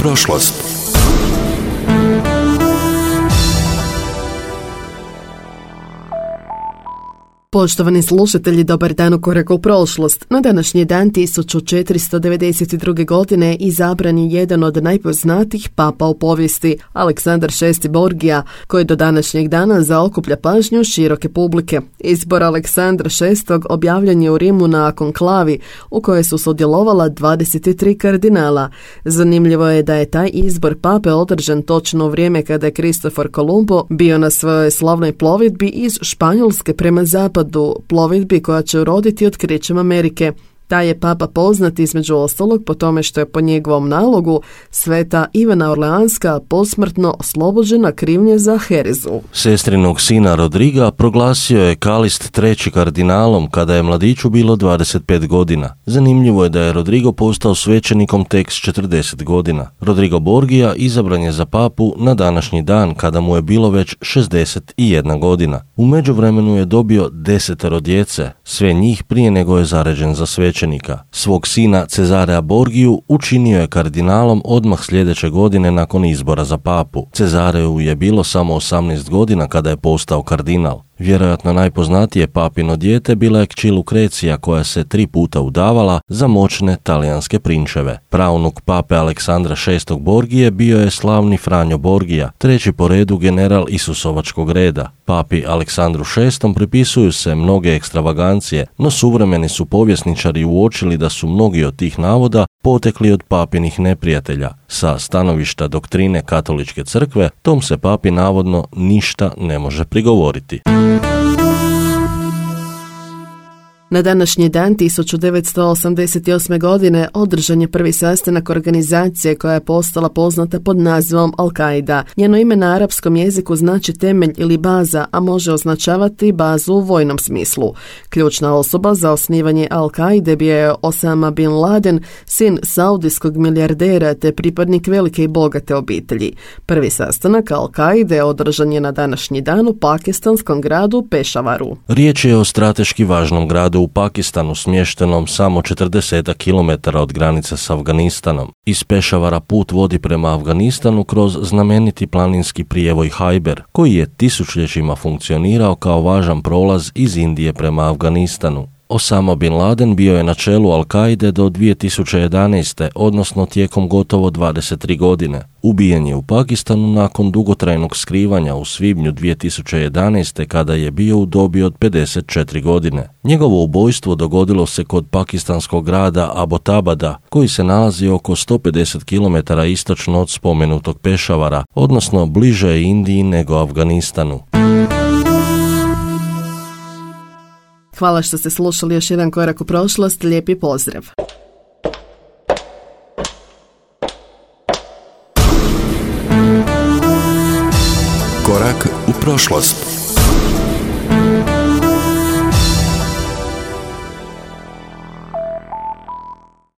prošlost. Poštovani slušatelji, dobar dan u koraku u prošlost. Na današnji dan 1492. godine izabran je jedan od najpoznatijih papa u povijesti, Aleksandar VI Borgija, koji do današnjeg dana zaokuplja pažnju široke publike. Izbor Aleksandra VI objavljen je u Rimu na konklavi, u kojoj su sudjelovala 23 kardinala. Zanimljivo je da je taj izbor pape održan točno u vrijeme kada je Kristofor Kolumbo bio na svojoj slavnoj plovidbi iz Španjolske prema zapadu, plovidbi koja će uroditi otkrićem Amerike. Taj je papa poznat između ostalog po tome što je po njegovom nalogu sveta Ivana Orleanska posmrtno oslobođena krivnje za herezu. Sestrinog sina Rodriga proglasio je Kalist III kardinalom kada je mladiću bilo 25 godina. Zanimljivo je da je Rodrigo postao svećenikom tek s 40 godina. Rodrigo Borgija izabran je za papu na današnji dan kada mu je bilo već 61 godina. U međuvremenu je dobio 10 djece, sve njih prije nego je zaređen za svećenika. Svog sina Cezarea Borgiju učinio je kardinalom odmah sljedeće godine nakon izbora za papu. Cezareju je bilo samo 18 godina kada je postao kardinal. Vjerojatno najpoznatije papino dijete bila je kći Lukrecija, koja se 3 puta udavala za moćne talijanske prinčeve. Praunuk pape Aleksandra VI Borgije bio je slavni Franjo Borgija, treći po redu general Isusovačkog reda. Papi Aleksandru VI pripisuju se mnoge ekstravagancije, no suvremeni su povjesničari uočili da su mnogi od tih navoda potekli od papinih neprijatelja. Sa stanovišta doktrine katoličke crkve, tom se papi navodno ništa ne može prigovoriti. Na današnji dan 1988. godine održan je prvi sastanak organizacije koja je postala poznata pod nazivom Al-Qaida. Njeno ime na arapskom jeziku znači temelj ili baza, a može označavati bazu u vojnom smislu. Ključna osoba za osnivanje Al-Qaide bio je Osama bin Laden, sin saudijskog milijardera te pripadnik velike i bogate obitelji. Prvi sastanak Al-Qaide održan je na današnji dan u pakistanskom gradu Pešavaru. Riječ je o strateški važnom gradu u Pakistanu, smještenom samo 40 km od granice s Afganistanom. Iz Pešavara put vodi prema Afganistanu kroz znameniti planinski prijevoj Hajber, koji je tisućljećima funkcionirao kao važan prolaz iz Indije prema Afganistanu. Osama bin Laden bio je na čelu Al-Qaide do 2011. odnosno tijekom gotovo 23 godine. Ubijen je u Pakistanu nakon dugotrajnog skrivanja u svibnju 2011. kada je bio u dobi od 54 godine. Njegovo ubojstvo dogodilo se kod pakistanskog grada Abbottabada, koji se nalazi oko 150 km istočno od spomenutog Pešavara, odnosno bliže je Indiji nego Afganistanu. Hvala što ste slušali još jedan korak u prošlost, lijepi pozdrav. Korak u prošlost.